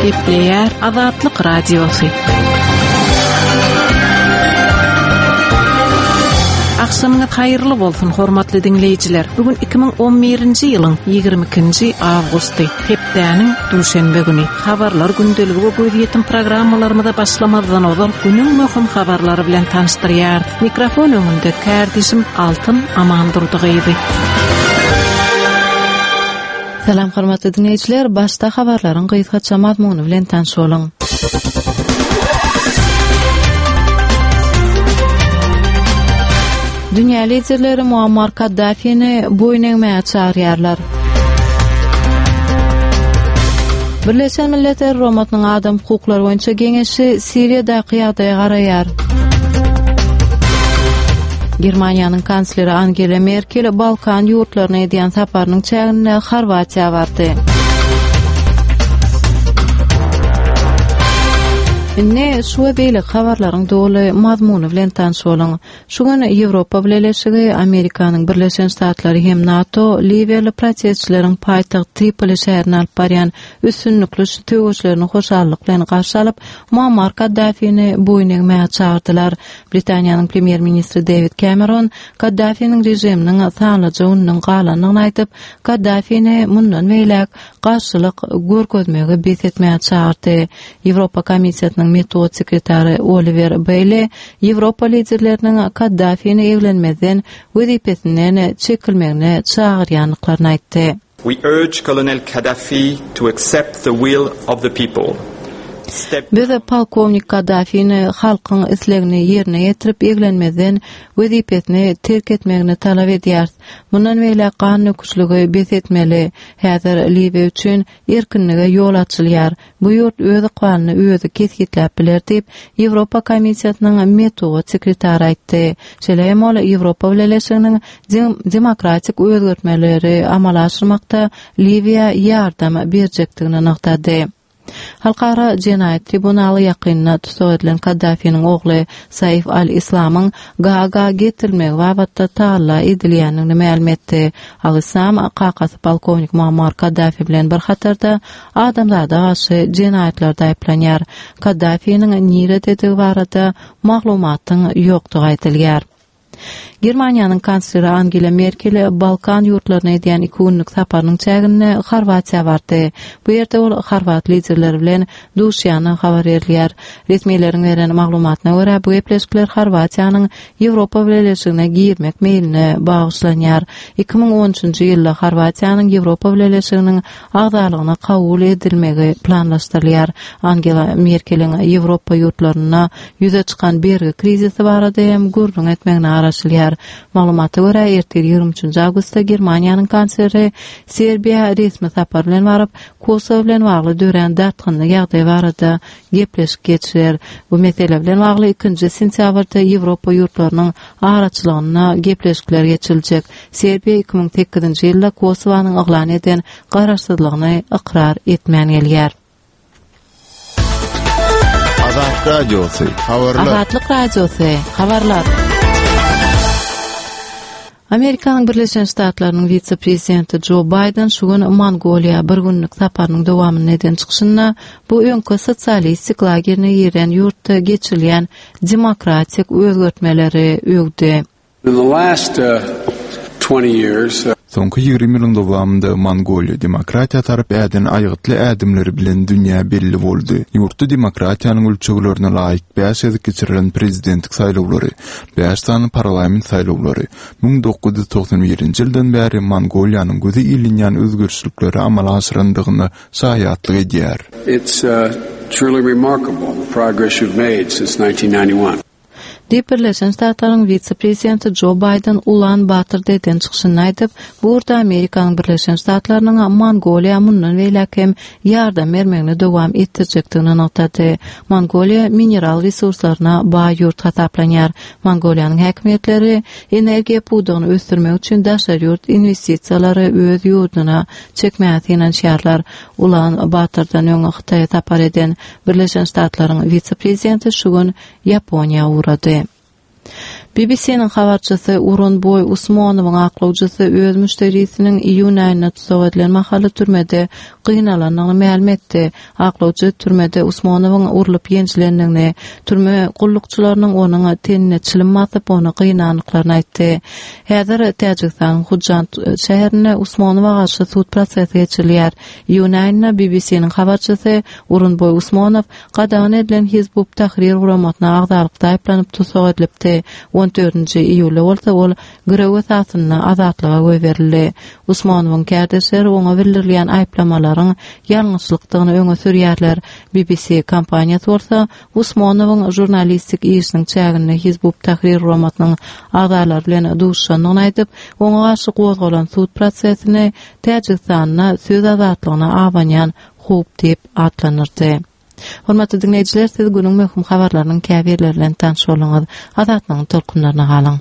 Gepleýär Azatlyk Radiosy. Agşamyňyz haýyrly bolsun, hormatly diňleýjiler! Bu gün 2011-nji ýylyň 22-nji awgusty, hepdäniň duşenbe güni. Habarlar gündeligi we gözýetim programmalarymyza başlamazdan ozal günüň möhüm habarlary bilen tanyşdyrýarys. Mikrofon öňünde kärdeşim Altyn Amandurdy gyzy. Salam hormatly diňleýjiler, başda habarlaryň gysgaça mazmuny bilen tanyş boluň. Dünýä liderleri Muammar Kaddafini boýun egmäge çagyrýarlar. Birleşen Milletler Guramasynyň Adam hukuklary boýunça geňeşi Siriýadaky ýagdaýa garaýar. Germaniýanyň kansleri Angela Merkel Balkan ýurtlaryna edýän saparynyň çäginde Horwatiýa bardy. Indi şu we beýleki habarlaryň doly mazmuny bilen tanyş boluň. Şu gün Ýewropa Bileleşigi, Amerikanyň Birleşen Ştatlary hem NATO liwiýaly protestçileriň paýtagt Tripoli şäherine alyp barýan üstünlikli söweşlerini hoşallyk bilen garşy alyp, Muammar Kaddafini boýun egmäge çagyrdylar. Britaniýanyň premýer-ministri Dewid Kemeron Kaddafiniň režiminiň sanlyja gününiň galandygyny aýdyp, Kaddafini mundan beýläk garşylyk görkezmegi bes etmäge çagyrdy. Ýewropa Komissiýasynyň metbugat sekretary Oliwer Beýle Ýewropa liderleriniň Kaddafini eglenmezden wezipesinden çekilmegine çagyrýandyklaryny aýtdy. We urge Colonel Kadhafi to accept the will of the people. Step Biz polkownik Kaddafini halkyň islegini ýerine ýetirip eglenmezden wezipesini terk etmegini talap edýäris. Mundan beýläk gan döküşligi bes etmeli. Häzir Liwiýa üçin erkinlige ýol açylýar. Bu ýurt öz ykbalyny özi kesgitläp biler diýip, Ýewropa Komissiýasynyň metbugat sekretary aýtdy. Şeýle hem ol Ýewropa Bileleşiginiň demokratik özgertmeleri amala aşyrmakda Liwiýa ýardam berjekdigini nygtady. Halkara jenaýat tribunaly ýakynda tussag edilen Kaddafiniň ogly Saif al-Islamyň Gaaga getirilmegi babatda tagalla edilýändigini mälim etdi. Al-Islam kakasy polkownik Muammar Kaddafi bilen bir hatarda adamzada garşy jenaýatlarda aýyplanýar. Kaddafiniň nirededigi barada maglumatyň ýokdugy aýdylýar. Germaniýanyň kansleri Angela Merkel Balkan ýurtlaryna edýän iki günlük saparynyň çäginde Horwatiýa bardy. Bu ýerde ol horwat liderleri bilen duşýandygy habar berilýär. Resmileriň beren maglumatyna görä, bu gepleşikler Horwatiýanyň Ýewropa Bileleşigine girmek meýline bagyşlanýar. 2013-nji ýylda Horwatiýanyň Ýewropa Bileleşiginiň agzalygyna kabul edilmegi planlaşdyrylýar. Angela Merkeliň Ýewropa ýurtlarynda ýüze çykan bergi krizisi barada hem gürrüň etmegine garaşylýar. Maglumata görä, ertir ýigrimi üçünji awgustda Germaniýanyň kansleri Serbiýa resmi sapar bilen baryp, Kosowo bilen bagly dörän dartgynly ýagdaý barada gepleşik geçirer. Bu mesele bilen bagly ikinji sentýabrda Ýewropa ýurtlarynyň araçylygynda gepleşikler geçiriljek. Serbiýa 2008-nji ýylda Kosowanyň yglan eden garaşsyzlygyny ykrar etmän gelýär. Azatlyk Radiosy, habarlar. Azatlyk Radiosy, habarlar. Amerikanyň Birleşen Ştatlarynyň wise-prezidenti Jo Baýden şu gün Mongoliýa bir günlük saparynyň dowamynda eden çykyşynda bu öňki sosialistik lagerine giren ýurtda geçirilýän demokratik özgertmeleri öwdi. In the last 20 years. Soňky 20 ýylyň dowamynda Mongoliýa demokratiýa tarap äden aýgytly ädimleri bilen dünýä belli boldy. Ýurtda demokratiýanyň ölçeglerine laýyk bäş gezek geçirilen prezidentlik saýlawlary, bäş sany parlament saýlawlary 1991-nji ýyldan bäri Mongoliýanyň göze ilinýän özgerişlikleri amala aşyrandygyna şaýatlyk edýär. It's truly remarkable the progress you've made since 1991. Diýip, Birleşen Ştatlaryň wise-prezidenti Jo Baýden Ulan-Batorda eden çykyşynda aýdyp, bu ugurda Amerikanyň Birleşen Ştatlarynyň Mongoliýa mundan beýläk hem ýardam bermegini dowam etdirjekdigini nygtady. Mongoliýa mineral resurslaryna baý ýurt hasaplanýar. Mongoliýanyň häkimiýetleri energiýa pudagyny ösdürmek üçin daşary ýurt inwestisiýalary öz ýurduna çekmäge synanyşýarlar. Ulan-Batordan öň Hytaýa sapar eden Birleşen Ştatlaryň wise-prezidenti şu gün Ýaponiýa ugrady. BBC-niň habarçysy Urunboý Usmonowyň aklawjysy öz müşderisiniň iýun aýynda tussag edilen mahaly türmede gynalandygyny mälim etdi. Aklawjy türmede Usmonowyň urlup ýenjilendigini, türme gullukçylarynyň onuň tenine çilim basyp, ony gynandyklaryny aýtdy. Häzir Täjigistanyň Hujand şäherinde Usmonowa garşy sud prosesi geçirilýär. Iýun aýynda BBC-niň habarçysy Urunboý Usmonow gadagan edilen Hizb ut-Tahrir guramasyna agzalykda aýyplanyp tussag edilipdi. On dördünji iýulda bolsa ol girew esasynda azatlyga goýberildi. Usmanowyň kärdeşleri oňa bildirilýän aýyplamalaryň ýalňyşlykdygyny öňe sürýärler. BBC kompaniýasy bolsa Usmanowyň žurnalistik işiniň çäginde Hizb ut-Tahrir guramasynyň agzalary bilen duşuşandygyny aýdyp, oňa garşy gozgalan sud prosesini Täjigistanda söz azatlygyna abanýan howp diýip atlandyrdy. Hormatly diňleýjiler, siz günüň möhüm habarlarynyň käbirleri bilen tanyş bolduňyz. Azatlygyň tolkunlaryna galyň.